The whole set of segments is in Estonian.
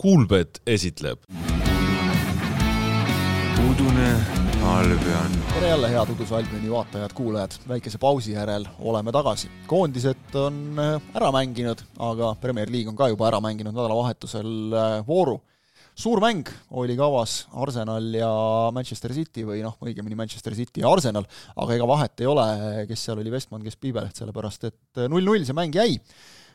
Kuulbet esitleb Udune Albion. Tere jälle head Uduse Albioni vaatajad, kuulajad. Väikese pausi järel oleme tagasi. Koondised on ära mänginud, aga Premier League on ka juba ära mänginud nädalavahetusel vooru. Suur mäng oli kavas Arsenal ja Manchester City või õigemini Manchester City ja Arsenal, aga ega vahet ei ole, kes seal oli Vestman, kes Piibeleht, sellepärast et 0-0 see mäng jäi.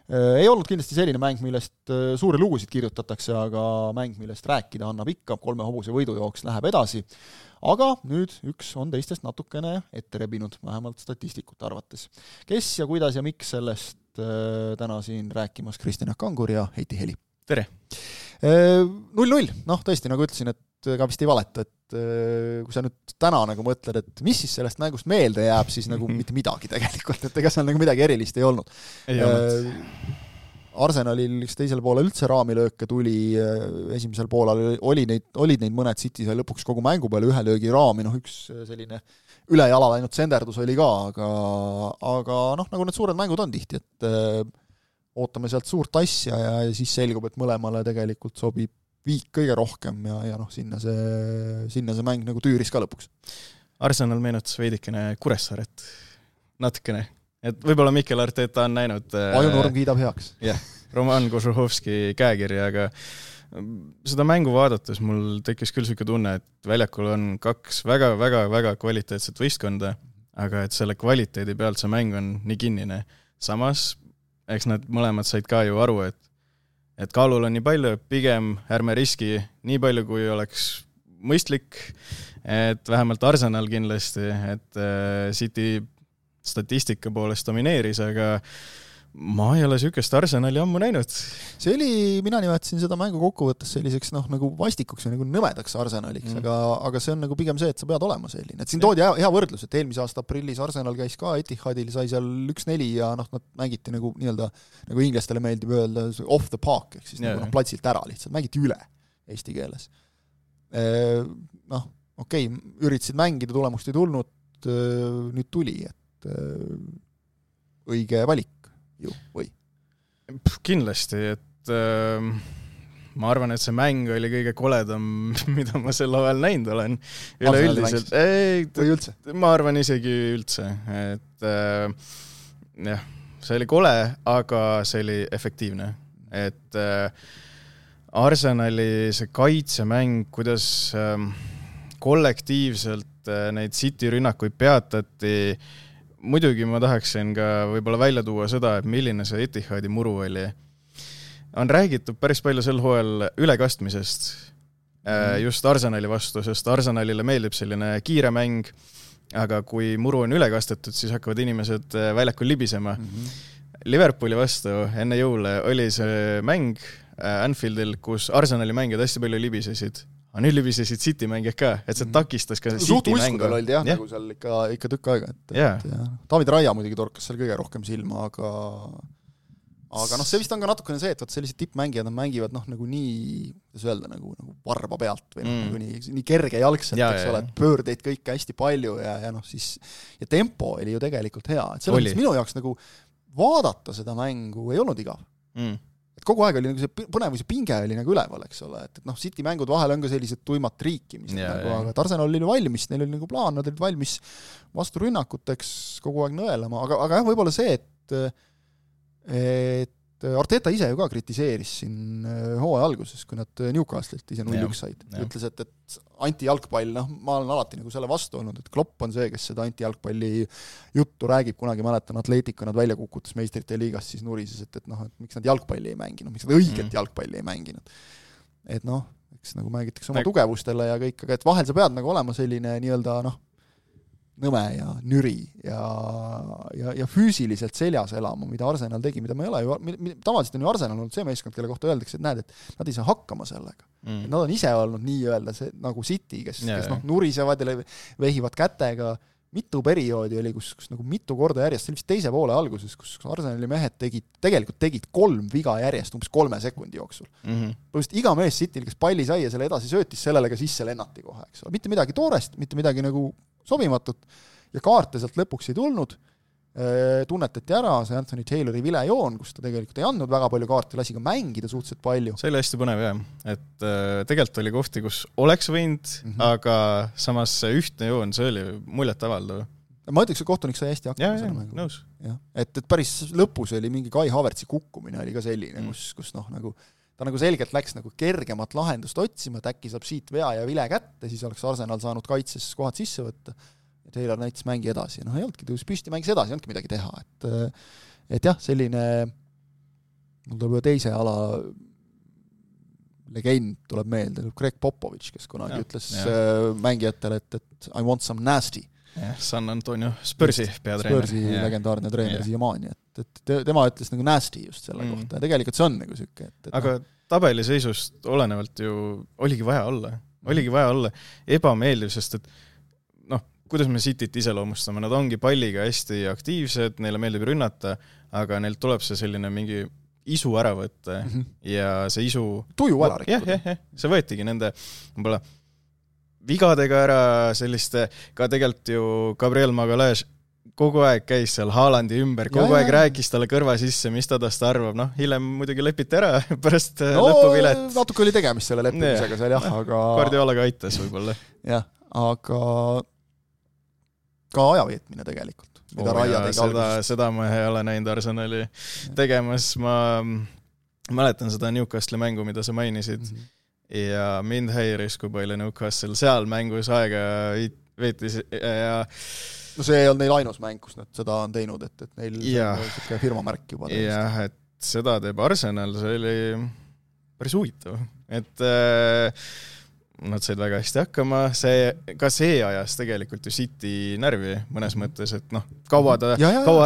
Ei olnud kindlasti selline mäng, millest suuri lugusid kirjutatakse, aga mäng, millest rääkida annab ikka, 3 hobuse võidujooks läheb edasi. Aga nüüd üks on teistest natukene ette rebinud, vähemalt statistikute arvates. Kes ja kuidas ja miks sellest täna siin rääkimas Kristjan Kangur ja Heiti Heli. Tere! 0-0, tõesti, nagu ütlesin, et ka vist ei valeta, et kui sa nüüd täna nagu mõtled, et mis siis sellest mängust meelde jääb, siis nagu mitte midagi tegelikult, et ega seal nagu midagi erilist ei olnud. Arsenalil teisel poolel üldse raamilööke tuli, esimesel poolel olid neid mõned City sai lõpuks kogu mängu peale ühe löögi raami, üks selline üle jala läinud senderdus oli ka, aga nagu need suured mängud on tihti, et ootame sealt suurt asja ja siis selgub, et mõlemale tegelikult sobib viik kõige rohkem ja sinna see mäng nagu tüüris ka lõpuks. Arsenal meenutas veidikene Kuressaaret natukene, et võib-olla Mikel Arteta on näinud Ajunorm kiidab heaks. Jah, Roman Kožuhovski käekirja, aga seda mängu vaadates mul tekkis küll selline tunne, et väljakul on 2 väga kvaliteetset võistkonda, aga et selle kvaliteedi pealt see mäng on nii kinnine. Samas eks nad mõlemad said ka ju aru, et kaalul on nii palju, pigem ärme riski nii palju, kui oleks mõistlik, et vähemalt Arsenal kindlasti, et City statistika poolest domineeris, aga ma ei ole sükest Arsenali ammu näinud. See oli, mina nimetasin seda mängu kokkuvõttes selliseks nagu vastikuks ja nagu nõmedaks Arsenaliks, aga see on nagu pigem see, et sa pead olema selline. Et siin toodi hea võrdlus, et eelmise aasta aprillis Arsenal käis ka Etihadil, sai seal 1-4 ja nad mängiti nagu inglastele meeldib öelda off the park, ehk siis platsilt ära lihtsalt, mängiti üle eesti keeles. Okei, üritasid mängida, tulemust ei tulnud, nüüd tuli, et õige valik ju, või? Kindlasti, et ma arvan, et see mäng oli kõige koledam, mida ma sel ajal näinud olen. Üleüldiselt. Või üldse? Ma arvan isegi üldse, et jah, see oli kole, aga see oli efektiivne. Et Arsenali see kaitsemäng, kuidas kollektiivselt neid City rünnakuid peatati, muidugi ma tahaksin ka võib-olla välja tuua seda, et milline see Etihadi muru oli. On räägitud päris palju sel hooajal ülekastmisest just Arsenali vastu, sest Arsenalile meeldib selline kiire mäng, aga kui muru on ülekastetud, siis hakkavad inimesed väljakul libisema. Liverpooli vastu enne jõule oli see mäng Anfieldil, kus Arsenali mängijad hästi palju libisesid. Aga nüüd libisesid City mängijad ka, et see takistas ka City mängu. Suht olid nagu seal ikka tükk aega. David Raia muidugi torkas seal kõige rohkem silma, aga see vist on ka natukene see, et sellised tippmängijad nad mängivad nagu nii, kuidas öelda, nagu varba pealt või nii kerge jalgselt, eks ole, et pöördeid kõike hästi palju ja tempo oli ju tegelikult hea. Et selles minu jaoks nagu vaadata seda mängu ei olnud igav. Et kogu aeg oli nagu see põnevus ja pinge oli nagu üleval, eks ole, et City mängud vahel on ka sellised tuimat triikimist, aga Arsenal oli valmis, neil oli nagu plaan, nad olid valmis vastu rünnakuteks kogu aeg nõelama, aga jah, võib-olla see, et Arteta ise ju ka kritiseeris siin hooaja alguses, kui nad Newcastle'ilt ise 0-1 said. Ütles, et anti-jalgpall, ma olen alati nagu selle vastu olnud, et Klopp on see, kes seda anti-jalgpalli juttu räägib, kunagi mäletan Atletico nad välja kukutas meistrite liigas, siis nurises, et miks nad jalgpalli ei mänginud, miks nad õiget jalgpalli ei mänginud. Et eks nagu mängitakse oma tugevustele ja kõik, aga et vahel sa pead nagu olema selline nii-öelda nõme ja nüri ja füüsiliselt seljas elama, mida Arsenal tegi, mida ma ei ole tavaliselt on ju Arsenal olnud see meeskond, kelle kohta öeldakse, et näed, et nad ei saa hakkama sellega. Nad on ise olnud nii-öelda see, nagu City, kes nurisevad ja vehivad kätega. Mitu perioodi oli, kus nagu mitu korda järjest, see oli vist teise poole alguses, kus Arsenali mehed tegelikult tegid 3 viga järjest umbes 3 sekundi jooksul. Põhimõtteliselt iga mees Cityl, kes palli sai ja selle edasi söötis, sellele ka sisse lennati kohe, eks ole. Mitte midagi toorest, mitte midagi nagu sobimatut ja kaarte sealt lõpuks ei tulnud tunnetati ära see Anthony Taylori vilejoon, kus ta tegelikult ei andnud väga palju kaarte, lasi ka mängida suhteliselt palju. See oli hästi põnev jah, et tegelikult oli kohti, kus oleks võinud, aga samas see ühtne joon, see oli muljet avaldav. Ma ütleks, et kohtunik sai hästi hakkama selle mängu. Nõus. Et päris lõpus oli mingi Kai Havertzi kukkumine oli ka selline, kus nagu ta nagu selgelt läks nagu kergemat lahendust otsima, et äkki saab siit vea ja vile kätte, siis oleks Arsenal saanud kaitses kohad sisse võtta. Ja Taylor näitas mängi edasi. Ei olnudki, tõus püsti, mängis edasi, ei olnudki midagi teha. Et jah, selline mul tuleb teise ala legend tuleb meelde, Greg Popovich, kes kunagi ütles mängijatele, et I want some nasty. San Antonio Spursi peatreener. Spursi legendaarne treener siiamaani, et tema ütles nagu nasty just selle kohta ja tegelikult see on nagu süke. Aga tabeliseisust olenevalt ju oligi vaja olla ebameeldiv, sest et kuidas me Cityt iseloomustame, nad ongi palliga hästi aktiivsed, neile meeldib rünnata, aga neil tuleb see selline mingi isu ära võtta ja see isu tuju ära rikkuda. See võetigi nende võib-olla vigadega ära selliste, ka tegelikult ju Gabriel Magalhaes kogu aeg käis seal Haalandi ümber, kogu aeg rääkis talle kõrva sisse, mis ta tast arvab, hiljem muidugi lepiti ära pärast lõpuvilet. Natuke oli tegemist selle leppimisega seal aga Guardiolaga aitas võib-olla. Jah, aga ka ajaveetmine tegelikult. Seda ma ei ole näinud Arsenali tegemas, ma mäletan seda Newcastle mängu, mida sa mainisid ja mind häiris, kui palju Newcastle seal mängus aega veetis ja no see ei olnud neil ainus mäng, kus nad seda on teinud, et neil on firmamärk juba. Jah, et seda teeb Arsenal, see oli päris huvitav, et nad said väga hästi hakkama, ka see ajas tegelikult ju City närvi mõnes mõttes, et kaua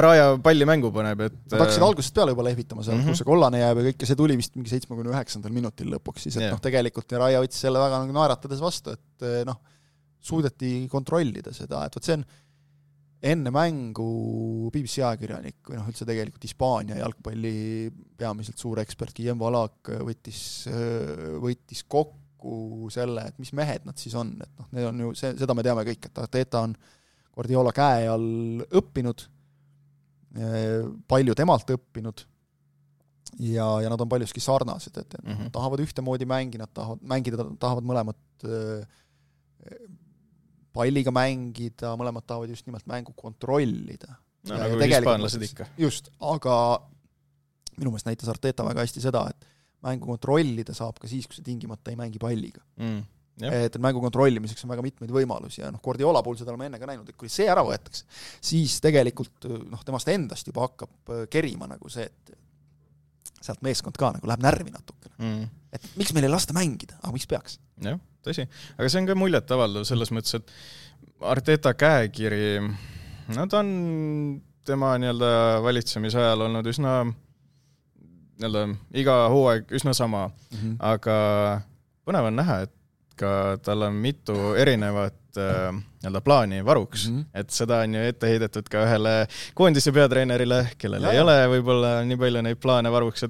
Raja palli mängu paneb. Nad hakkasid algusest peale juba lehvitama seal, kus see kollane jääb ja kõik, ja see tuli vist mingi 79. minutil lõpuks, siis et tegelikult Raja võttis selle väga naeratades vastu, et suudeti kontrollida seda, et see on enne mängu BBC ajakirjanik või üldse tegelikult Hispaania jalgpalli peamiselt suur ekspert Guillem Valak võttis kokku selle, et mis mehed nad siis on, et need on ju, seda me teame kõik, et Arteta on Guardiola käe all õppinud, palju temalt õppinud ja nad on paljuski sarnased, et tahavad ühtemoodi nad tahavad mõlemad palliga mängida, mõlemad tahavad just nimelt mängu kontrollida. Nagu hispaanlased ikka. Just, aga minu meelest näitas Arteta väga hästi seda, et mängu kontrollida saab ka siis, kui see tingimata ei mängi palliga. Et mängu kontrollimiseks on väga mitmeid võimalusi ja Guardiola puhul seda oleme enne ka näinud, et kui see ära võetakse, siis tegelikult temast endast juba hakkab kerima nagu see, et sealt meeskond ka nagu läheb närvi natukene. Et miks meil ei lasta mängida, aga miks peaks? Jah, tõsi. Aga see on ka muljet avaldav selles mõttes, et Arteta käekiri, ta on tema valitsemise ajal olnud üsna iga hooaeg üsna sama, aga põnev on näha, et ka tal on mitu erinevat plaani varuks, et seda on ju ette heidetud ka ühele koondise peatreenerile, kellel ei ole võib-olla nii palju neid plaane varuks,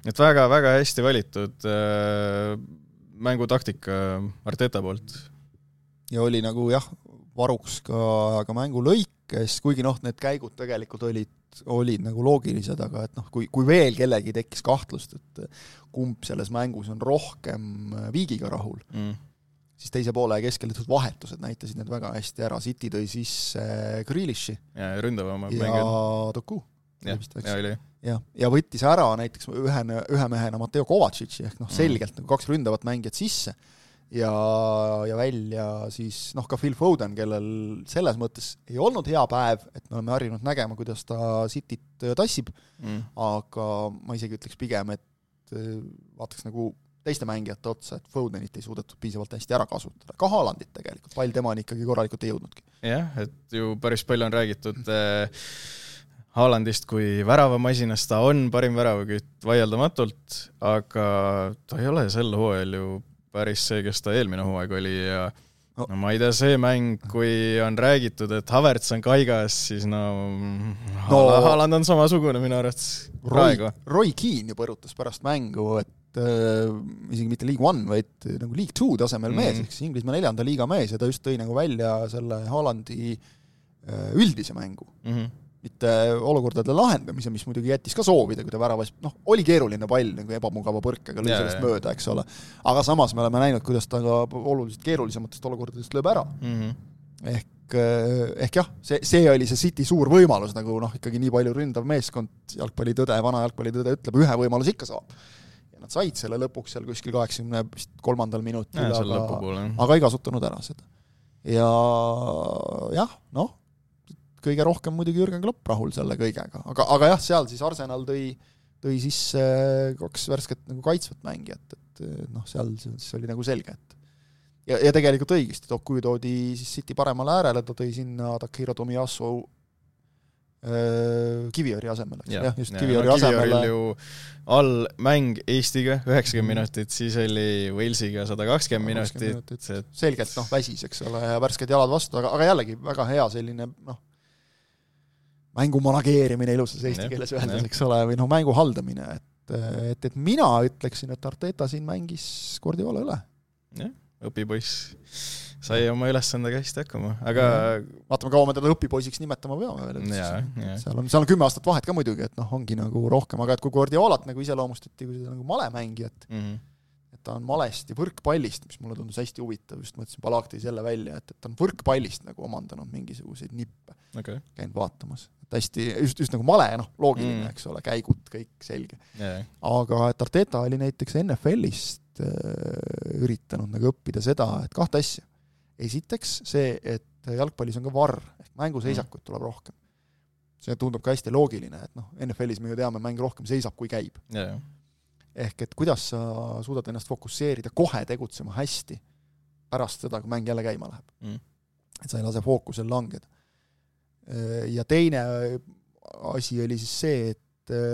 et väga-väga hästi valitud mängutaktika Arteta poolt. Ja oli nagu varuks ka mängulõikes, kuigi need käigud tegelikult olid nagu loogilised, aga et kui veel kellegi tekkis kahtlust, et kumb selles mängus on rohkem Viigiga rahul, siis teise poole keskel vahetused näitasid need väga hästi ära. City tõi sisse Grealishi ja ründavama Doku. Ja võttis ära näiteks ühe mehena Matteo Kovacici ehk selgelt kaks ründavat mängijat sisse ja välja siis ka Phil Foden, kellel selles mõttes ei olnud hea päev, et me oleme harjunud nägema, kuidas ta Cityt tassib, aga ma isegi ütleks pigem, et vaataks nagu teiste mängijate otsa, et Fodenit ei suudetud piisavalt hästi ära kasutada. Ka Haalandit tegelikult, pall temani ikkagi korralikult ei jõudnudki. Jah, et ju päris palju on räägitud Haalandist kui väravamasinast, ta on parim väravakütt vaieldamatult, aga ta ei ole sel hooajal ju päris see, kes ta eelmine hooaeg oli ja ma ei tea, see mäng, kui on räägitud, et Havertz on kaigas, siis Haaland on samasugune minu arvates praegu. Roy Keane ju põrutas pärast mängu, et isegi mitte League 1, vaid nagu League 2 tasemel mees, eks Inglismaa 4. liiga mees ja ta just tõi nagu välja selle Haalandi üldise mängu. mitte olukordade lahendamise, mis muidugi jättis ka soovida, kui ta väravas, oli keeruline pall nagu ebamugava põrkega, lõi sellest mööda, eks ole. Aga samas me oleme näinud, kuidas ta ka oluliselt keerulisematest olukordadest lööb ära. Ehk jah, see oli see City suur võimalus, nagu ikkagi nii palju ründav meeskond, vana jalgpallitõde ütleb, ühe võimalus ikka saab. Ja nad said selle lõpuks seal kuskil 83. minutil, aga ei kasutanud ära seda. Ja jah, kõige rohkem muidugi Jürgen Klopp rahul selle kõigega. Aga jah, seal siis Arsenal tõi sisse 2 värsket nagu kaitsvat mängijat, et seal siis oli nagu selge, et ja tegelikult õigesti, kui toodi siis City paremale äärele, ta tõi sinna Takehiro Tomiyasu Kiviõri asemele. Kiviõri ju all mäng Eestiga 90 minutit, siis oli Walesiga 120 minutit. Selgelt väsis, eks ole, ja värsked jalad vastu, aga jällegi väga hea selline mängu manageerimine ilusas eesti keeles öeldes, eks ole, või mängu haldamine, et mina ütleksin, et Arteta siin mängis Guardiola üle. Jah, õpipoiss sai oma ülesandega hästi hakkama, aga vaatame, kaua me teda õpipoisiks nimetama peame veel. Seal on 10 aastat vahet ka muidugi, et ongi nagu rohkem, aga et kui Guardiolat nagu iseloomustati kui seda nagu malemängijat, et ta on malest ja võrkpallist, mis mulle tundus hästi huvitav, just mõtlesin, Palak tõi selle välja, et ta on võrkpallist nagu omandanud mingisuguseid nippe, käinud vaatamas. Et hästi, just nagu male, loogiline, eks ole, käigud, kõik selge. Aga et Arteta oli näiteks NFL-ist üritanud nagu õppida seda, et 2 asja. Esiteks see, et jalgpallis on ka VAR, ehk mänguseisakut tuleb rohkem. See tundub ka hästi loogiline, et NFL-is me ju teame, mäng rohkem seisab, kui käib. Ehk et kuidas sa suudad ennast fokusseerida, kohe tegutsema hästi pärast seda, kui mäng jälle käima läheb. Et sa ei lase fookusel langeda. Ja teine asi oli siis see, et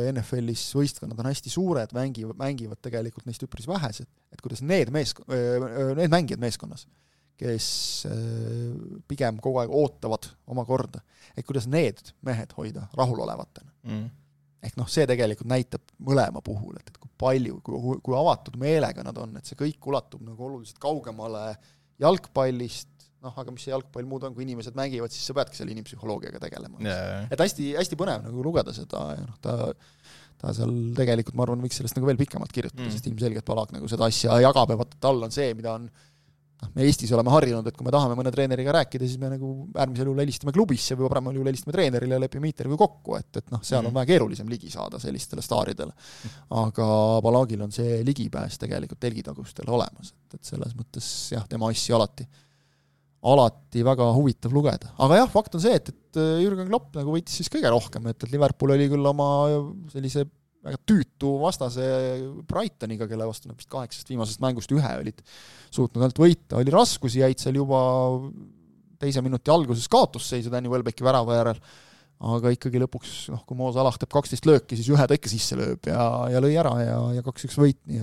NFL-is võistkonnad on hästi suured, mängivad tegelikult neist üpris vähesed, et kuidas need mängijad meeskonnas, kes pigem kogu aeg ootavad oma korda, et kuidas need mehed hoida rahulolevatena. Ehk see tegelikult näitab mõlema puhul, et kui palju, kui avatud meelega nad on, et see kõik ulatub nagu oluliselt kaugemale jalgpallist, aga mis see jalgpall muud on, kui inimesed mängivad, siis sa peadki selle inimpsühholoogiaga tegelema. Et hästi põnev nagu lugeda seda, ja ta seal tegelikult, ma arvan, võiks sellest nagu veel pikemalt kirjutada, sest ilmselgelt Palak nagu seda asja jagab, ja vaata tal on see, mida on me Eestis oleme harjunud, et kui me tahame mõne treeneriga rääkida, siis me nagu äärmisel juhul helistame klubisse või paremal juhul helistame treenerile ja lepime intervjuu kokku, et seal on väga keerulisem ligi saada sellistele staaridele. Aga Palagil on see ligipääs tegelikult telgitagustel olemas, et selles mõttes jah, tema assi alati väga huvitav lugeda. Aga jah, fakt on see, et Jürgen Klopp nagu võitis siis kõige rohkem, et Liverpool oli küll oma sellise väga tüütu vastase Brightoniga, kelle vastu vist 8 viimasest mängust 1 olid suutnud ainult võita. Oli raskusi, jäid seal juba 2 minuti alguses kaotusseisu Danny Welbecki värava järel, aga ikkagi lõpuks, kui Mo Salah teeb 12 lööki, siis 1 ta ikka sisse lööb ja lõi ära ja 2-1 võit, nii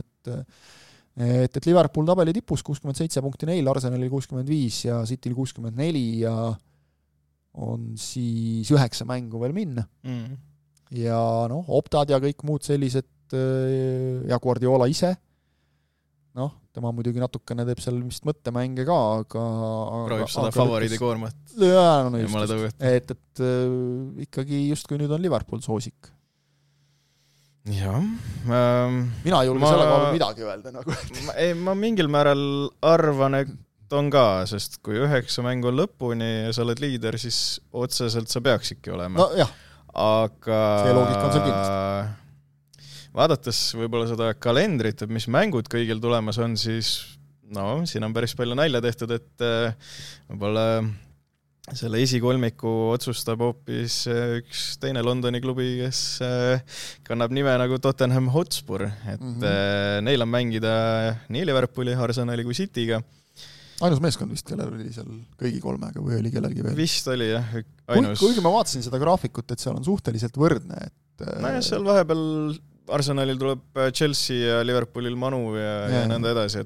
et Liverpool tabeli tipus 67 punkti neil, Arsenalil 65 ja Cityl 64 ja on siis 9 mängu veel minna. Ja Optad ja kõik muud sellised ja Guardiola ise, tema muidugi natukene teeb seal vist mõttemänge ka, aga proovib seda favoriidi koormat. Et ikkagi just kui nüüd on Liverpool soosik. Jah. Mina ei julge selle kaalu midagi öelda. Ma mingil määral arvan, et on ka, sest kui 9 mängu on lõpuni ja sa oled liider, siis otseselt sa peaksidki olema. Jah. Aga see loogika on seal kindlasti. Vaadates võib-olla seda kalendrit, et mis mängud kõigil tulemas on, siis siin on päris palju nalja tehtud, et võib-olla selle esikolmiku otsustab hoopis üks teine Londoni klubi, kes kannab nime nagu Tottenham Hotspur, et neil on mängida nii Liverpooli, Arsenali kui Cityga. Ainus meeskond vist, kellel oli seal kõigi 3, või oli kellelgi veel? Vist oli, jah, ainus. Kuigi ma vaatasin seda graafikut, et seal on suhteliselt võrdne, et seal vahepeal Arsenalil tuleb Chelsea ja Liverpoolil Manu ja nõnda edasi.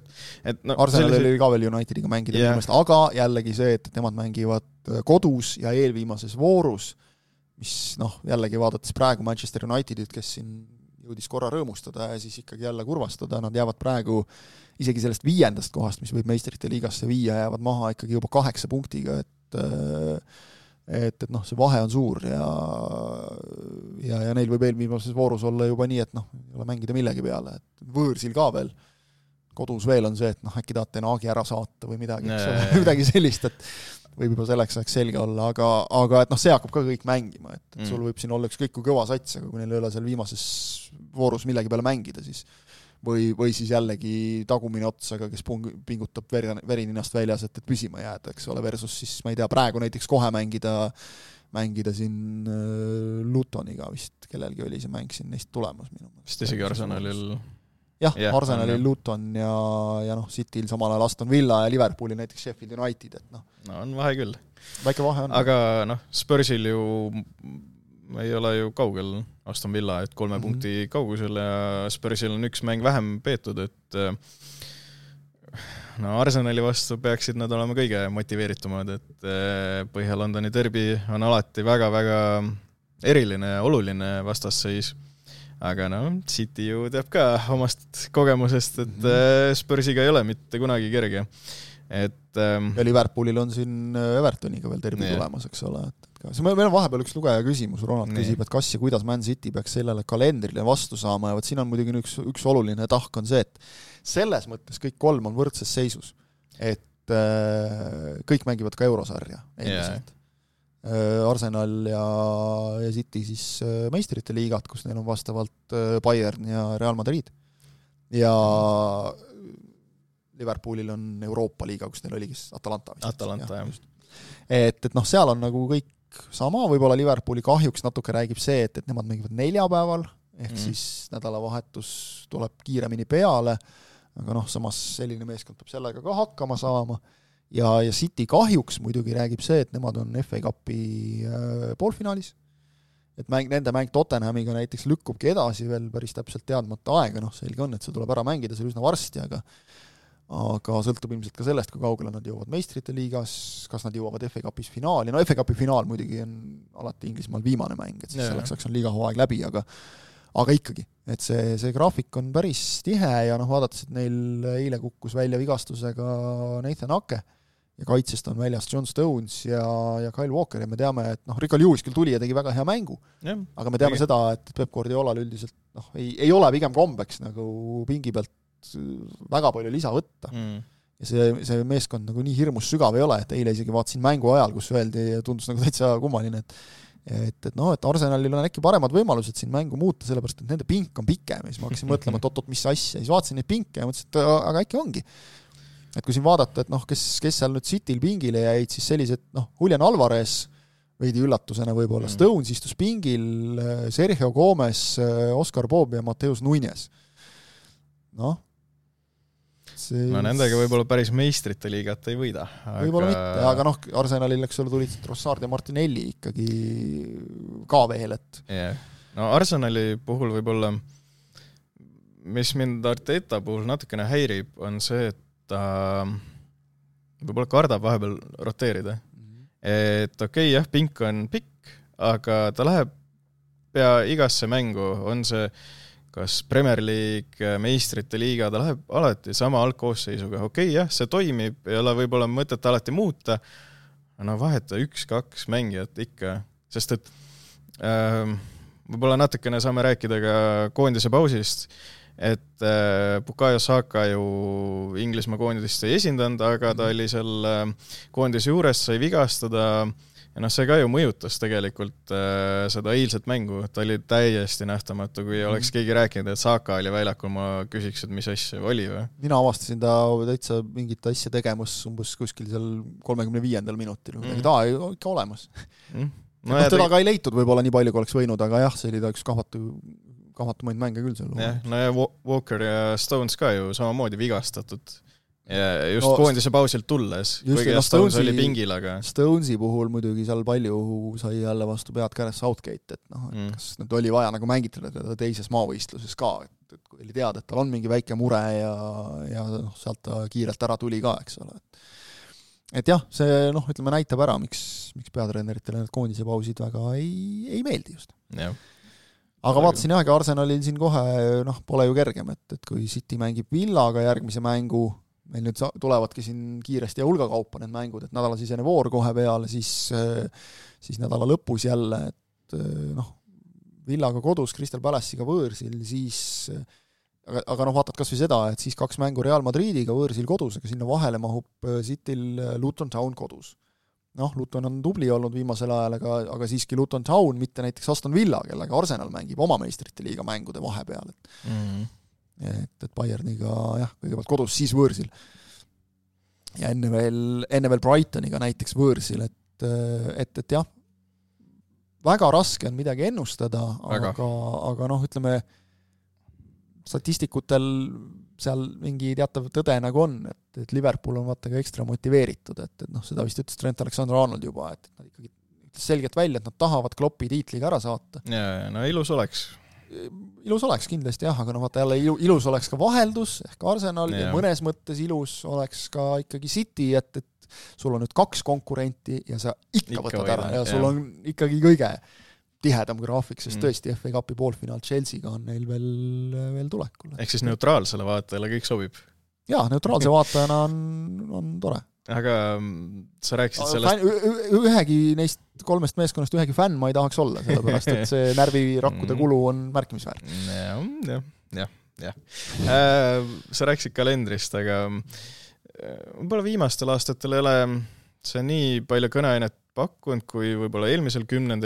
Arsenalil oli ka veel Unitediga mängida, aga jällegi see, et nemad mängivad kodus ja eelviimases voorus, mis jällegi vaadates praegu Manchester Unitedit, kes siin jõudis korra rõõmustada ja siis ikkagi jälle kurvastada, nad jäävad praegu isegi sellest 5. kohast, mis võib meistrite liigasse viia, jäävad maha ikkagi juba 8 punktiga, et noh, see vahe on suur ja neil võib eelviimases voorus olla juba nii, et noh, ei ole mängida millegi peale, et võõrsil ka veel, kodus veel on see, et noh, äkki tahate Naagi ära saata või midagi, midagi sellist, et võib juba selleks ajaks selge olla, aga et noh, see hakkab ka kõik mängima, et sul võib siin olla ükskõik kui kõva sats, aga kui neil ei ole seal viimases voorus millegi peale mängida, siis või siis jällegi tagumine otsaga, kes pingutab verininast väljas, et püsima jääda, eks ole, versus siis, ma ei tea, praegu näiteks kohe mängida siin Lutoniga vist, kellelgi oli see mäng siin neist tulemas minu meelest. Vist isegi Arsenalil. Jah, Arsenalil Luton ja noh, Cityl samal ajal Aston Villa ja Liverpooli näiteks Sheffield United, et noh. No on vahe küll. Väike vahe on. Aga noh, Spursil ju ei ole ju kaugel Aston Villa, et 3 punkti kaugusel ja Spursil on üks mäng vähem peetud, et no Arsenali vastu peaksid nad olema kõige motiveeritumad, et Põhja-Londoni derbi on alati väga-väga eriline ja oluline vastasseis. Aga no, City ju teab ka omast kogemusest, et Spursiga ei ole mitte kunagi kerge. Ja Liverpoolil on siin Evertoniga veel derbi tulemas, eks ole. Meil on vahepeal üks lugeja küsimus, Ronald küsib, et kas ja kuidas Man City peaks sellele kalendrile vastu saama ja siin on muidugi üks oluline tahk on see, et selles mõttes kõik 3 on võrdses seisus, et kõik mängivad ka eurosarja endiselt. Arsenal ja City siis meistrite liigat, kus neil on vastavalt Bayern ja Real Madrid ja Liverpoolil on Euroopa liiga, kus neil oligi Atalanta. Jah. Et noh, seal on nagu kõik sama, võib-olla Liverpooli kahjuks natuke räägib see, et nemad mängivad 4 päeval, ehk siis nädalavahetus tuleb kiiremini peale, aga noh, samas selline meeskond peab sellega ka hakkama saama. Ja City kahjuks muidugi räägib see, et nemad on FA Cupi poolfinaalis, et nende mäng Tottenhamiga näiteks lükkubki edasi veel päris täpselt teadmata aega, noh selge on, et see tuleb ära mängida seal üsna varsti, aga sõltub ilmselt ka sellest, kui kaugele nad jõuavad meistrite liigas, kas nad jõuavad FA Cupis finaali, no FA Cupi finaal muidugi on alati Inglismaal viimane mäng, et siis selleks on liiga hooaeg läbi, aga ikkagi, et see graafik on päris tihe ja noh, vaadates, et neil eile kukkus välja vigastusega Nathan Ake ja kaitsest on väljas John Stones ja Kyle Walker ja me teame, et noh, Rico Lewis küll tuli ja tegi väga hea mängu, aga me teame seda, et Pep Guardiolal üldiselt noh, ei ole pigem kombeks nagu pingi pealt väga palju lisa võtta. Ja see meeskond nagu nii hirmus sügav ei ole, et eile isegi vaatasin mängu ajal, kus öeldi ja tundus nagu täitsa kummaline, et Arsenalil on äkki paremad võimalused siin mängu muuta, sellepärast et nende pink on pikem ja siis ma hakkasin mõtlema, et mis asja, siis vaatasin neid pinke ja mõtlesin, et aga äkki ongi. Et kui siin vaadata, et noh, kes seal nüüd Cityl pingile jäid, siis sellised, noh, Julian Alvarez veidi üllatusena võib-olla, Stones istus pingil, Sergio Gomez, Oscar Bob ja Mateus Nunes. No nendega võib-olla päris meistrite liigat ei võida. Võib-olla mitte, aga noh, Arsenalil eks ole tulid Trossard ja Martinelli ikkagi ka veel, et No Arsenali puhul võib-olla, mis mind Arteta puhul natukene häirib, on see, et ta võib-olla kardab vahepeal roteerida. Et okei, jah, pink on pikk, aga ta läheb pea igasse mängu, on see kas Premier League, meistrite liiga, ta läheb alati sama algkoosseisuga. Okei, jah, see toimib, ei ole võib-olla mõtet alati muuta, no vaheta 1-2 mängijat ikka, sest et võib-olla natukene saame rääkida ka koondise pausist, et Bukayo Saka ju Inglismaa koondist ei esindanud, aga ta oli seal koondise juures, sai vigastada ja noh, see ka ju mõjutas tegelikult seda eilset mängu, ta oli täiesti nähtamatu, kui oleks keegi rääkinud, et Saka oli väljakul, ma küsiks, et mis asja oli või? Mina avastasin ta täitsa mingit asja tegemas umbes kuskil seal 35. minutil, ta oli ikka olemas. Teda ka ei leitud võib-olla nii palju, kui oleks võinud, aga jah, see oli ta üks kahvatumaid mänge küll seal. No ja Walker ja Stones ka ju samamoodi vigastatud. Ja just koondise pausilt tulles, kuigi Stones oli pingil, aga Stonesi puhul muidugi seal palju sai jälle vastu pead käres Southgate, et noh, et kas nüüd oli vaja nagu mängitada teda teises maavõistluses ka, et kui oli teada, et tal on mingi väike mure ja noh, sealt ta kiirelt ära tuli ka, eks ole. Et jah, see noh, ütleme näitab ära, miks peatreeneritele need koondise pausid väga ei meeldi just. Aga vaatasin jah, Arsenalil siin kohe noh, pole ju kergem, et kui City mängib Villaga järgmise mängu, meil nüüd tulevadki siin kiiresti ja hulgakaupa need mängud, et nädalasisene voor kohe peale, siis nädala lõpus jälle, et noh, Villaga kodus, Crystal Palace'iga võõrsil, siis aga noh, vaatad kas või seda, et siis 2 mängu Real Madridiga võõrsil kodus, aga sinna vahele mahub Cityl Luton Town kodus. Noh, Luton on tubli olnud viimasel ajal, aga siiski Luton Town, mitte näiteks Aston Villa, kellega Arsenal mängib oma meistrite liiga mängude vahepeal, et Bayerniga jah, kõigepealt kodus, siis võõrsil. Ja enne veel Brightoniga näiteks võõrsil, et jah, väga raske on midagi ennustada, aga noh, ütleme, statistikutel seal mingi teatav tõde nagu on, et Liverpool on vaata ka ekstra motiveeritud, et noh, seda vist ütles Trent Alexander-Arnold juba, et nad ikkagi ütles selgelt välja, et nad tahavad Kloppi tiitliga ära saata. Ja, no ilus oleks kindlasti jah, aga no vaata jälle ilus oleks ka vaheldus ehk Arsenal ja mõnes mõttes ilus oleks ka ikkagi City, et sul on nüüd 2 konkurenti ja sa ikka võtad ära ja sul on ikkagi kõige tihedam graafik, sest tõesti FA Cupi poolfinaal Chelsea'ga on neil veel tulekul. Ehk siis neutraalsele vaatajale kõik sobib? Jaa, neutraalse vaatajana on tore. Aga sa rääkisid sellest... Ühegi neist 3 meeskonnast ühegi fänn ma ei tahaks olla, sellepärast et see närvirakkude kulu on märkimisväärne. Jah. Sa rääkisid kalendrist, aga võib-olla viimastel aastatel ei ole see nii palju kõneainet pakkunud kui võib-olla eelmisel 10.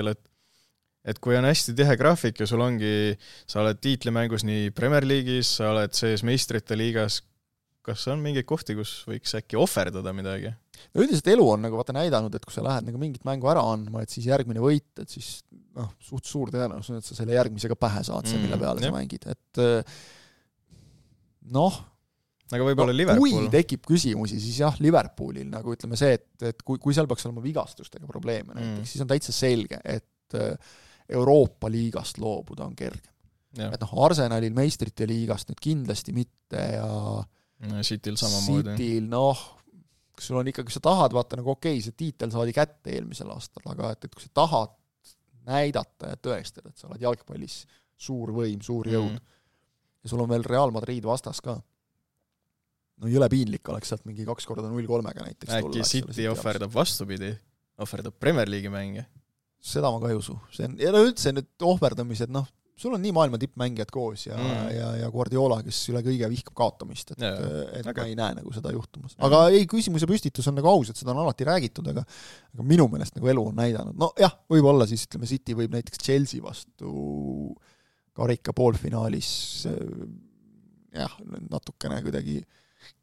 Et kui on hästi tihe graafik ja sul ongi, sa oled tiitlimängus nii Premier League'is, sa oled sees meistrite liigas, kas on mingi kohti, kus võiks äkki ohverdada midagi? No üldiselt elu on nagu vaata näidanud, et kui sa lähed nagu mingit mängu ära andma, et siis järgmine võit, et siis suht suur tõenäosus, et sa selle järgmisega pähe saad, mille peale sa mängid. Et noh, aga võib-olla Liverpool. Kui tekib küsimusi, siis jah, Liverpoolil nagu ütleme see, et kui seal peaks olema vigastustega probleeme näiteks, siis on täitsa selge, et Euroopa liigast loobuda on kergem. Et noh, Arsenalil meistrite liigast nüüd kindlasti mitte ja Cityl samamoodi. Cityl, noh, kui sul on ikka, kui sa tahad, vaata nagu okei, see tiitel saadi kätte eelmisel aastal, aga et kui sa tahad näidata ja tõestada, et sa oled jalgpallis suur võim, suur jõud ja sul on veel Real Madrid vastas ka, no jõle piinlik oleks sealt mingi 2x0-3-ga näiteks äkki City ohverdab vastupidi, ohverdab Premier League'i mänge? Seda ma ka ei usu. Ja no üldse nüüd ohverdamised, noh, sul on nii maailma tippmängijad koos ja Guardiola, kes üle kõige vihkab kaotamist, et ma ei näe nagu seda juhtumas. Aga ei, küsimuse püstitus on nagu aus, et seda on alati räägitud, aga minu meelest nagu elu on näidanud. No jah, võib-olla siis, ütleme, City võib näiteks Chelsea vastu karika poolfinaalis jah, natukene kuidagi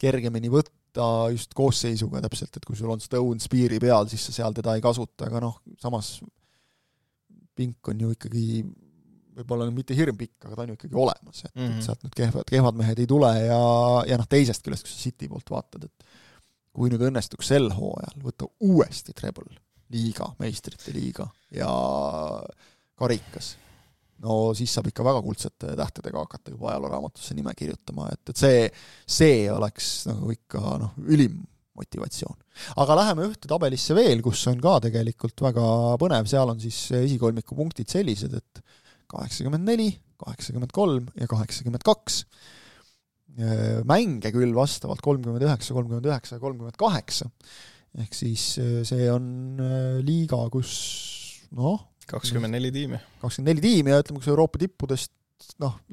kergemini võtta just koosseisuga täpselt, et kui sul on Stones piiri peal, siis sa seal teda ei kasuta, aga noh, samas pink on ju ikkagi võib-olla mitte hirmpikk, aga ta on ju ikkagi olemas, et sealt nüüd kehvad mehed ei tule ja noh, teisest küljest, kui sa City poolt vaatad, et kui nüüd õnnestuks sel hooajal võtta uuesti treble liiga, meistrite liiga ja karikas, no siis saab ikka väga kuldsete tähtedega hakata juba ajalooraamatusse nime kirjutama, et see oleks nagu ikka ülim motivatsioon. Aga läheme ühte tabelisse veel, kus on ka tegelikult väga põnev, seal on siis esikolmiku punktid sellised, et 84, 83 ja 82. Mänge küll vastavalt 39, 39 ja 38. Ehk siis see on liiga, kus 24 tiimi. 24 tiimi ja ütleme, kus Euroopa tippudest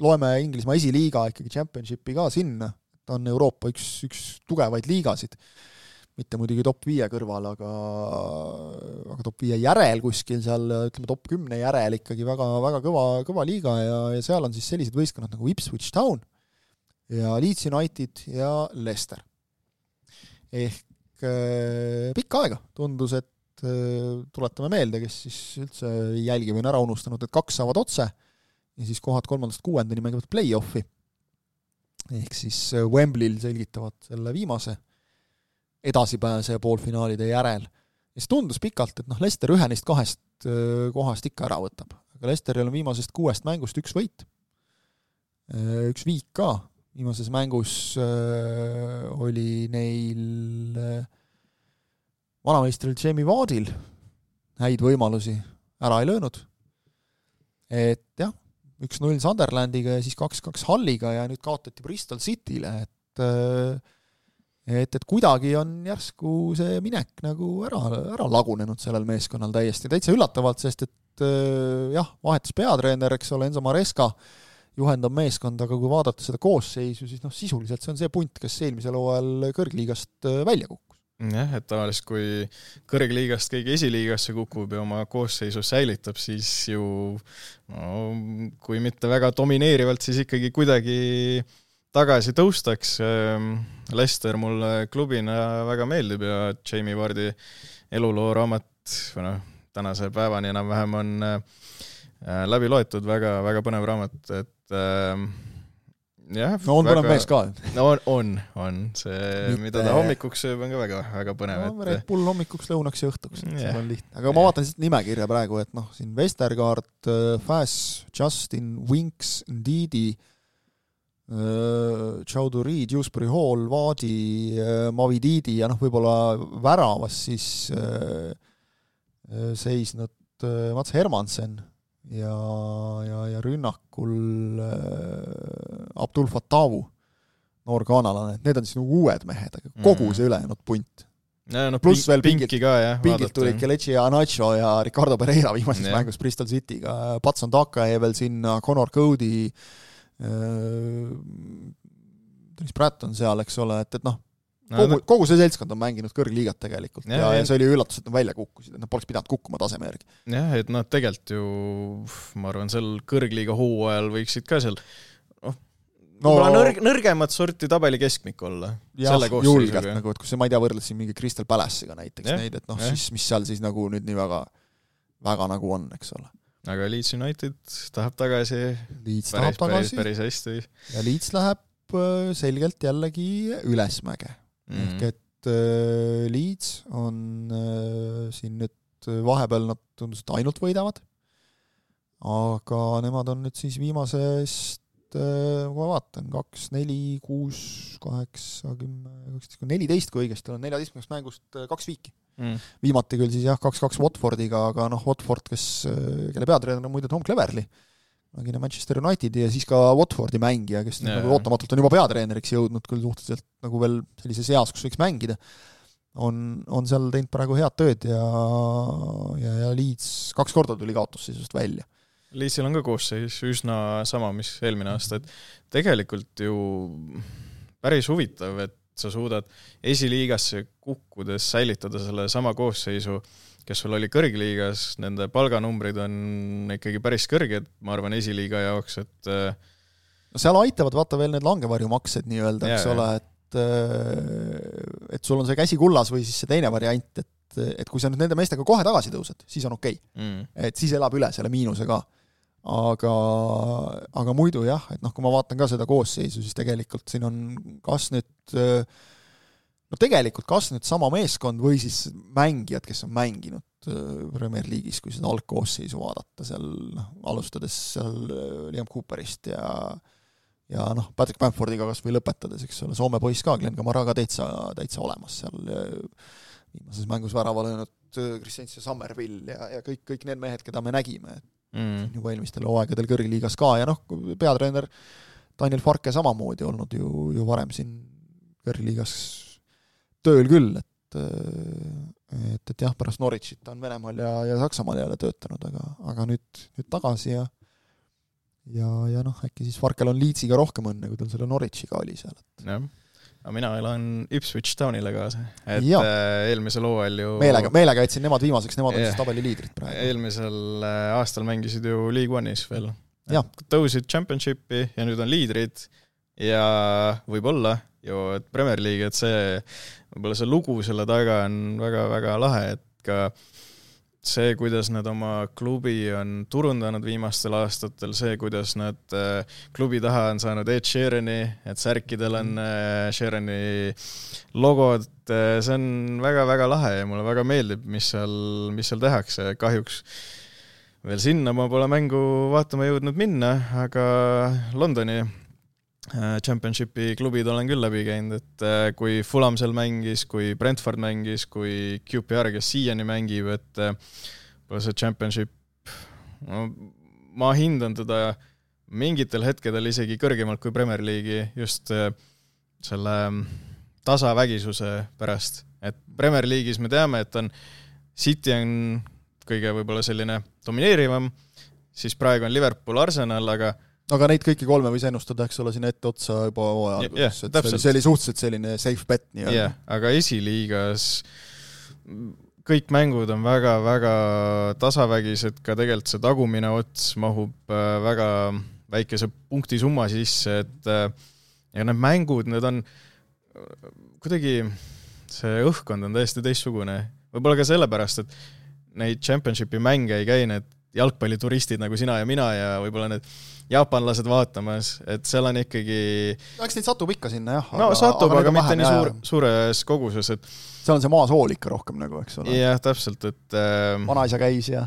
loeme Inglismaa esiliiga ikkagi Championshipi ka sinna. Ta on Euroopa üks tugevaid liigasid. Mitte muidugi top 5 kõrval, aga top 5 järel kuskil seal, ütleme top 10 järel ikkagi väga, väga kõva liiga ja seal on siis sellised võistkonnad nagu Ipswich Town ja Leeds United ja Leicester. Ehk pikka aega tundus, et tuletame meelde, kes siis üldse jälgi või on ära unustanud, et 2 saavad otse ja siis kohad 3.–6. mängivad play-offi. Ehk siis Wembley'l selgitavad selle viimase edasipääse poolfinaalide järel. Ja see tundus pikalt, et Leicester ühe neist 2 kohast ikka ära võtab. Aga Leicesteril on viimasest 6 mängust 1 võit. 1 viik ka. Viimases mängus oli neil vanameistril Jamie Wardil häid võimalusi ära ei löönud. Et jah, 1-0 Sunderlandiga ja siis 2-2 Hulliga ja nüüd kaotati Bristol Cityle, et kuidagi on järsku see minek nagu ära lagunenud sellel meeskonnal täitsa üllatavalt, sest et jah, vahetus peatreener, eks ole, Enzo Maresca juhendab meeskonda, aga kui vaadata seda koosseisu, siis sisuliselt see on see punt, kes eelmisel hooajal kõrgliigast välja kukkus. Jah, et tavaliselt kui kõrgliigast keegi esiliigasse kukub ja oma koosseisu säilitab, siis ju kui mitte väga domineerivalt, siis ikkagi kuidagi tagasi tõustaks. Leicester mulle klubina väga meeldib ja Jamie Vardi eluloo raamat tänase päevani enam-vähem on läbi loetud, väga, väga põnev raamat, et jah, on põnev mees ka. On. See, mida ta hommikuks sööb, on ka väga, väga põnev. Red Bull hommikuks, lõunaks ja õhtuks, seal on lihtne. Aga ma vaatan nimekirja praegu, et siin Vestergaard, Fass, Justin, Winks, Ndidi, Chowdhury, Dewsbury Hall, Vaadi, Mavididi ja võib-olla väravas siis seisnud Mats Hermansen ja rünnakul Abdul Fatawu, noor kanalane, et need on siis uued mehed, aga kogu see ülejäänud punt. Pluss veel pingilt tulid Kelechi Anacho ja Ricardo Pereira viimases mängus Bristol Cityga, Patson Taka ja veel sinna Connor Cody, Dennis Pratt on seal, eks ole, et kogu see seltskond on mänginud kõrgliigat tegelikult ja see oli üllatus, et nad välja kukkusid, et nad poleks pidanud kukkuma taseme järgi. Jah, et tegelikult ju, ma arvan, seal kõrgliiga hooajal võiksid ka seal nõrgemat sorti tabeli keskmik olla. Jah, julgelt, et kui see, ma ei tea, võrdles siin mingi Crystal Palace'iga näiteks neid, et siis mis seal siis nüüd nii väga nagu on, eks ole. Aga Leeds United tahab tagasi päris hästi. Ja Leeds läheb selgelt jällegi ülesmäge. Ehk et Leeds on siin nüüd vahepeal nad tundus, et ainult võidavad, aga nemad on nüüd siis viimasest, kui ma vaatan, 2, 4, 6, 8, 10, 14, kui õigesti on 14 mängust 2 viiki. Viimati küll siis 2-2 Watfordiga, aga Watford, kelle peatreener on muide Tom Cleverley, Manchester Unitedi ja siis ka Watfordi mängija, kes ootamatult on juba peatreeneriks jõudnud küll suhteliselt veel sellises eas, kus võiks mängida, on seal teinud praegu head tööd ja Leeds 2 korda tuli kaotusseisust välja. Leedsil on ka koosseis üsna sama, mis eelmine aasta, et tegelikult ju päris huvitav, et sa suudad esiliigasse kukkudes säilitada selle sama koosseisu, kes sul oli kõrgliigas, nende palganumbrid on ikkagi päris kõrged, ma arvan, esiliiga jaoks, et seal aitavad vaata veel need langevarjumaksed nii-öelda, eks ole, et sul on see käsi kullas või siis see teine variant, et kui sa nüüd nende meestega kohe tagasi tõused, siis on okei. Et siis elab üle selle miinuse ka. Aga muidu jah, et kui ma vaatan ka seda koosseisu, siis tegelikult siin on kas nüüd sama meeskond või siis mängijad, kes on mänginud Premier League'is, kui seda algkoosseisu vaadata, seal alustades seal Liam Cooperist ja Patrick Bamfordiga kas või lõpetades, eks ole, Soome poiss ka, Glenn Kamara ka täitsa olemas seal viimases mängus värava löönud Christensen Summerville ja kõik need mehed, keda me nägime, juba eelmistel hooaegadel kõrgliigas ka ja peatreener Daniel Farke samamoodi olnud ju varem siin kõrgliigas tööl küll, et jah, pärast Norwichit on Venemaal ja Saksamaal jälle töötanud, aga nüüd tagasi ja äkki siis Farkel on Leedsiga rohkem õnne, kui tal selle Norwichiga oli seal. Jah, aga mina elan Ipswich Townile kaasa, et eelmisel hooajal ju meelega jätsin nemad viimaseks, nemad on siis tabeli liidrid praegu. Eelmisel aastal mängisid ju League One'is veel. Tõusid Championshipi ja nüüd on liidrid ja võib-olla ju, et Premier League, et võib-olla see lugu selle taga on väga-väga lahe, et ka see, kuidas nad oma klubi on turundanud viimastel aastatel, see, kuidas nad klubi taha on saanud Ed Sheerani, et särkidel on Sheerani logod, see on väga-väga lahe ja mulle väga meeldib, mis seal tehakse. Kahjuks veel sinna ma pole mängu vaatama jõudnud minna, aga Londoni Championshipi klubid olen küll läbi käinud, et kui Fulham seal mängis, kui Brentford mängis, kui QPR, kes siiani mängib, et see Championship, ma hindan teda mingitel hetkedel isegi kõrgemalt kui Premier League'i just selle tasavägisuse pärast, et Premier League'is me teame, et City on kõige võib-olla selline domineerivam, siis praegu on Liverpool, Arsenal, aga neid kõiki kolme võis ennustada, eks ole, siin ette otsa juba alguses, see oli suhteliselt selline safe bet nii-öelda. Aga esiliigas kõik mängud on väga-väga tasavägised, ka tegelikult see tagumine ots mahub väga väikese punkti summa sisse, et ja need mängud, need on kuidagi, see õhkkond on täiesti teistsugune. Võib-olla ka sellepärast, et neid championshipi mänge ei käi need jalgpallituristid nagu sina ja mina ja võib-olla need jaapanlased vaatamas, et seal on ikkagi... Eks neid satub ikka sinna, jah. No satub, aga mitte nii suures koguses, et... Seal on see maasool ikka rohkem nagu, eks ole. Jah, täpselt, et... Vanaisa käis ja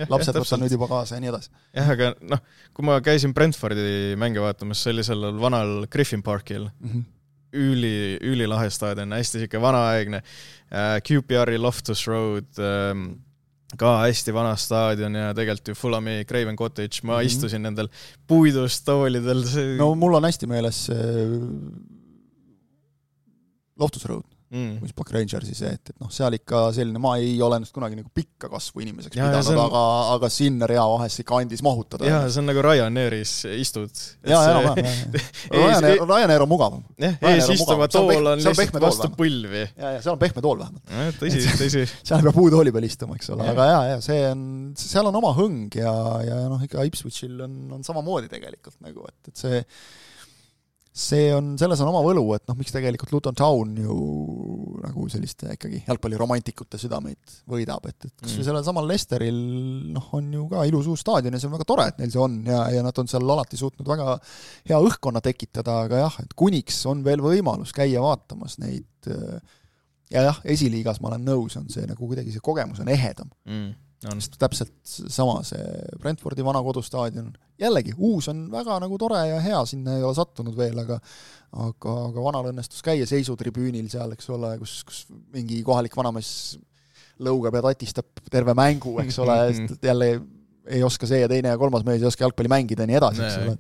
lapsed võtta nüüd juba kaasa ja nii edasi. Jah, aga kui ma käisin Brentfordi mänge vaatamas, see oli sellel vanal Griffin Parkil, ülilahe staadion, hästi siuke vanaaegne, QPR-i Loftus Road, ka hästi vana staadion ja tegelikult ju Fulhami Craven Cottage, ma istusin nendel puidust toolidel. No mul on hästi meeles Loftus Road, mis Park Rangersi see, et seal ikka selline, ma ei ole ennast kunagi nagu pikka kasvu inimeseks pidanud, aga sinna rea vahest ikka andis mahutada. Jaa, see on nagu Ryanairis istud. Ryanair on mugavam. Ees istuma tool on lihtsalt vastu põlvi. Ja seal on pehme tool vähemalt. Tõsi. Seal peab puutooli peal istuma, eks ole, aga seal on oma hõng ja ikka Ipswichil on samamoodi tegelikult nagu, et selles on oma võlu, et miks tegelikult Luton Town ju nagu selliste ikkagi jalgpalliromantikute südameid võidab, et kas sellel samal Leicesteril on ju ka ilus uus staadion ja see on väga tore, et neil see on ja nad on seal alati suutnud väga hea õhkkonna tekitada, aga et kuniks on veel võimalus käia vaatamas neid esiliigas ma olen nõus, on see nagu kuidagi see kogemus on ehedam. Täpselt sama see Brentfordi vana kodustaadion. Jällegi, uus on väga nagu tore ja hea, sinna ei ole sattunud veel, aga vanal õnnestus käia seisutribüünil seal, eks ole, kus mingi kohalik vanamees lõugab ja tatistab terve mängu, eks ole, jälle ei oska see ja teine ja kolmas mees ei oska jalgpalli mängida ja nii edasi, eks ole.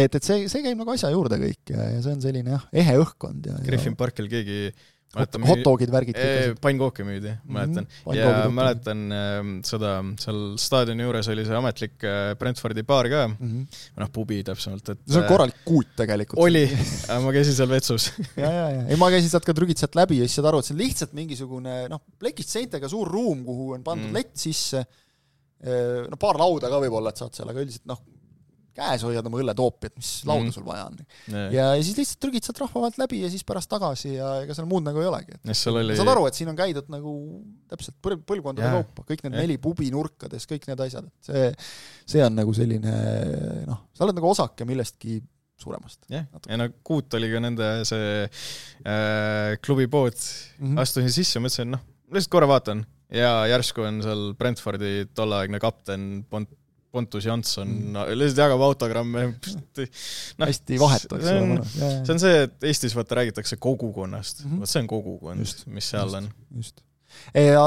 Et see käib nagu asja juurde kõik ja see on selline ehe õhkkond. Griffin Parkil keegi hotdogid värgid. Pannkooki müüdi, mäletan. Ja mäletan seda, seal staadioni juures oli see ametlik Brentfordi baar ka, pubi täpsemalt. See on korralik kuut tegelikult. Oli, aga ma käisin seal vetsus. Ei, ma käisin sealt ka trügid sealt läbi ja siis saad aru, et see on lihtsalt mingisugune plekist seintega suur ruum, kuhu on pandud lett sisse, paar lauda ka võib-olla, et saad seal, aga üldiselt käes hoiad oma õlletoopi, et mis lauda sul vaja on. Ja siis lihtsalt trügid sealt rahvavalt läbi ja siis pärast tagasi ja ega seal muud nagu ei olegi. Saad aru, et siin on käidud nagu täpselt põlvkondade kaupa, kõik need 4 pubi nurkades, kõik need asjad. See on nagu selline, sa oled nagu osake millestki suuremast. Ja Kuut oli ka nende see klubi pood, astusin sisse ja mõtlesin, lihtsalt korra vaatan ja järsku on seal Brentfordi tolleaegne kapten Pontus Jansson, lihtsalt jagab autogramme. Hästi vahetu, eks ole. See on see, et Eestis räägitakse kogukonnast. See on kogukond, mis seal on. Just. Ja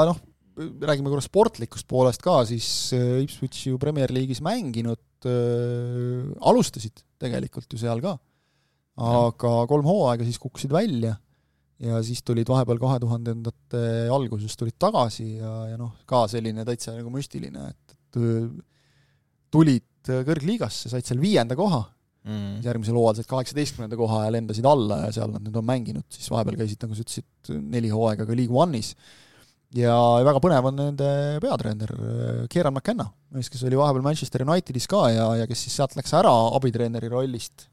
räägime korra sportlikust poolest ka, siis Ipswich ju Premier League'is mänginud alustasid tegelikult ju seal ka. Aga 3 hooaega siis kukkusid välja ja siis tulid vahepeal 2000-ndate alguses tulid tagasi ja ka selline täitsa nagu müstiline, et tulid kõrgliigasse, said seal 5. koha, järgmisel hooajal said 18. koha ja lendasid alla ja seal nad nüüd on mänginud, siis vahepeal käisid, nagu sa ütlesid, 4 hooaega ka League One'is. Ja väga põnev on nende peatreener Kieran McKenna, kes oli vahepeal Manchester Unitedis ka ja kes siis sealt läks ära abitreeneri rollist.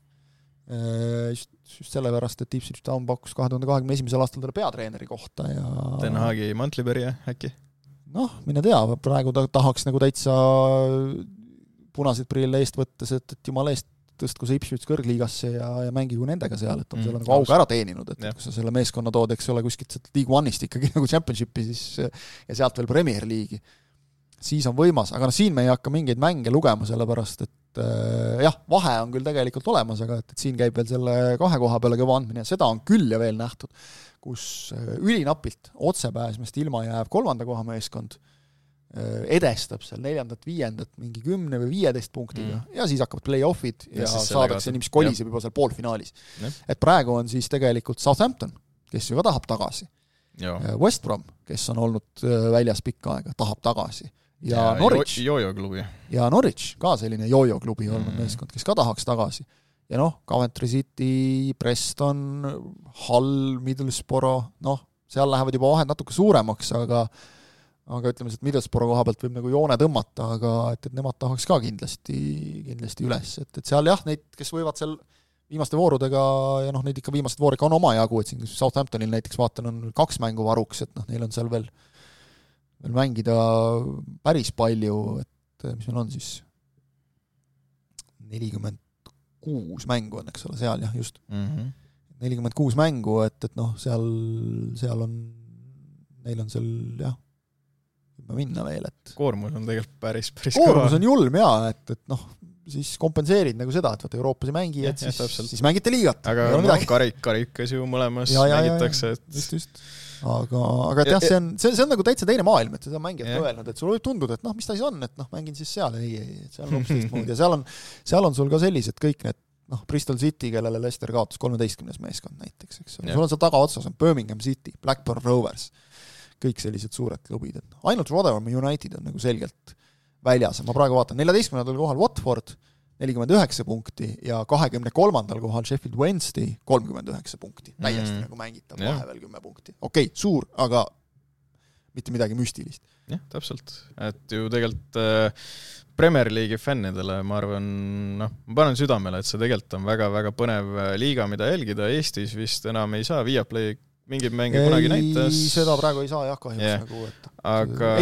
Just sellepärast, et Ipswich Town pakkus 2021. aastal talle peatreeneri kohta ja... Den Haagi Mantliberja äkki? Mine tea, praegu tahaks nagu täitsa punaseid prille eest võttes, et jumala eest tõstku see Ipswich kõrgliigasse ja mängigu nendega seal, et on selle nagu auga ära teeninud, et kui sa selle meeskonna tood, eks ole, kuskilt League One'ist ikkagi nagu Championshipi siis, ja sealt veel Premier League'i, siis on võimas, aga siin me ei hakka mingeid mänge lugema, sellepärast et vahe on küll tegelikult olemas, aga et siin käib veel selle 2 koha peale kõva andmine ja seda on küll ja veel nähtud, kus ülinapilt otsepääsmest ilma jääb 3. koha meeskond, edestab seal 4., 5. mingi 10 või 15 punktiga ja siis hakkavad play-offid ja saadakse nii, mis koliseb juba seal poolfinaalis. Et praegu on siis tegelikult Southampton kes ju ka tahab tagasi. West Brom, kes on olnud väljas pikka aega, tahab tagasi. Ja Norwich. Jojo-klubi. Ja Norwich, ka selline jojo-klubi olnud meeskond, kes ka tahaks tagasi. Ja Coventry City, Preston, Hull, Middlesbrough, seal lähevad juba vahed natuke suuremaks, aga ütleme, et Middlesbrough koha pealt võib nagu joone tõmmata, aga et nemad tahaks ka kindlasti üles. Et seal jah, neid, kes võivad seal viimaste voorudega, ja neid ikka viimased voorika on oma jagu, et siin Southamptonil näiteks vaatan on 2 mängu varuks, et neil on seal veel mängida päris palju, et mis meil on siis 46 mängu on, eks ole, seal jah, just 46 mängu, et seal on neil on seal jah minna veel, et koormus on tegelikult päris koormus on julm jaa, et siis kompenseerid nagu seda, et Euroopas ei mängi, et siis mängite liigat. Aga karikas ju mõlemas mängitakse. Just. Aga et jah, see on nagu täitsa teine maailm, et seda mängijad ka öelnud, et sul võib tunduda, et mis ta siis on, et mängin siis seal, ei, seal on hoopis teistmoodi ja seal on sul ka sellised kõik need Bristol City, kellele Leicester kaotas 13. meeskond näiteks, eks ole. Sul on seal tagaotsas on Birmingham City, Blackburn Rovers, kõik sellised suured klubid. Ainult Rotherham United on nagu selgelt väljas. Ma praegu vaatan 14. kohal Watford 49 punkti ja 23. kohal Sheffield Wednesday 39 punkti. Täiesti nagu mängitab vahevel 10 punkti. Okei, suur, aga mitte midagi müstilist. Jah, täpselt. Et ju tegelikult Premier League'i fännidele, ma arvan, ma panen südamele, et see tegelikult on väga-väga põnev liiga, mida jälgida. Eestis vist enam ei saa Viaplay mingid mänge kunagi näitas. Seda praegu ei saa jah kahjuks nagu, aga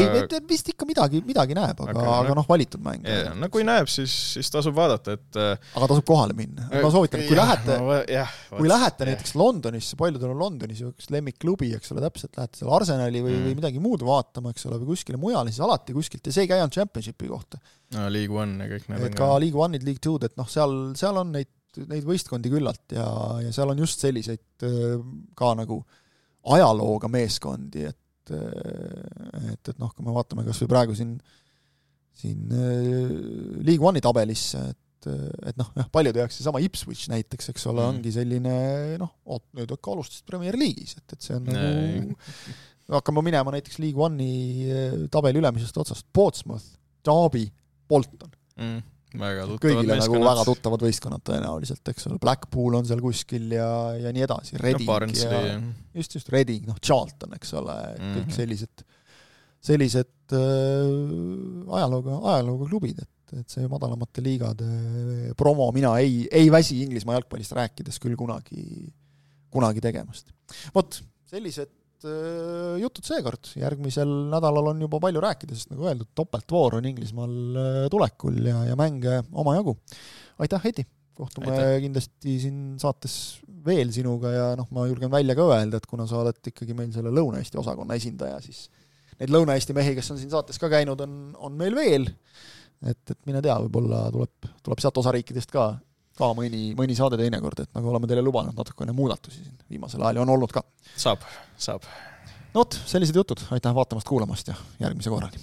vist ikka midagi näeb, aga valitud mäng. Kui näeb, siis tasub vaadata, et aga tasub kohale minna. Ma soovitan, kui lähete näiteks Londonisse, paljudel on Londonis üks lemmikklubi, eks ole, täpselt lähete seal Arsenali või midagi muud vaatama, eks ole, või kuskile mujale, siis alati kuskilt, ja see ei käi on Championshipi kohta. League One ja kõik need on ka League One'id, League Two'd, et seal on neid võistkondi küllalt ja seal on just selliseid ka nagu ajalooga meeskondi, et kui me vaatame kas või praegu siin League One'i tabelisse, et paljud jääks seesama Ipswich näiteks, eks ole, ongi selline, nüüd ka alustasid Premier League'is, et see on nagu, hakkame minema näiteks League One'i tabeli ülemisest otsast, Portsmouth, Derby, Bolton. Kõigile nagu väga tuttavad võistkonnad tõenäoliselt, eks ole, Blackpool on seal kuskil ja nii edasi, Reading ja just Reading, Charlton, eks ole, kõik sellised ajalooga klubid, et see madalamate liigade promo mina ei väsi Inglismaa jalgpallist rääkides küll kunagi tegemast. Vot, sellised jutud seekord. Järgmisel nädalal on juba palju rääkida, sest nagu öeldud, topeltvoor on Inglismaal tulekul ja mänge omajagu. Aitäh, Heidi! Kohtume kindlasti siin saates veel sinuga ja ma julgen välja ka öelda, et kuna sa oled ikkagi meil selle Lõuna-Eesti osakonna esindaja, siis neid Lõuna-Eesti mehi, kes on siin saates ka käinud, on meil veel. Et mine tea, võib-olla tuleb sealt osariikidest ka mõni saade teinekord, et nagu oleme teile lubanud natukene muudatusi siin viimasel ajal on olnud ka. Saab. Sellised jutud, aitäh vaatamast, kuulamast ja järgmise korrani.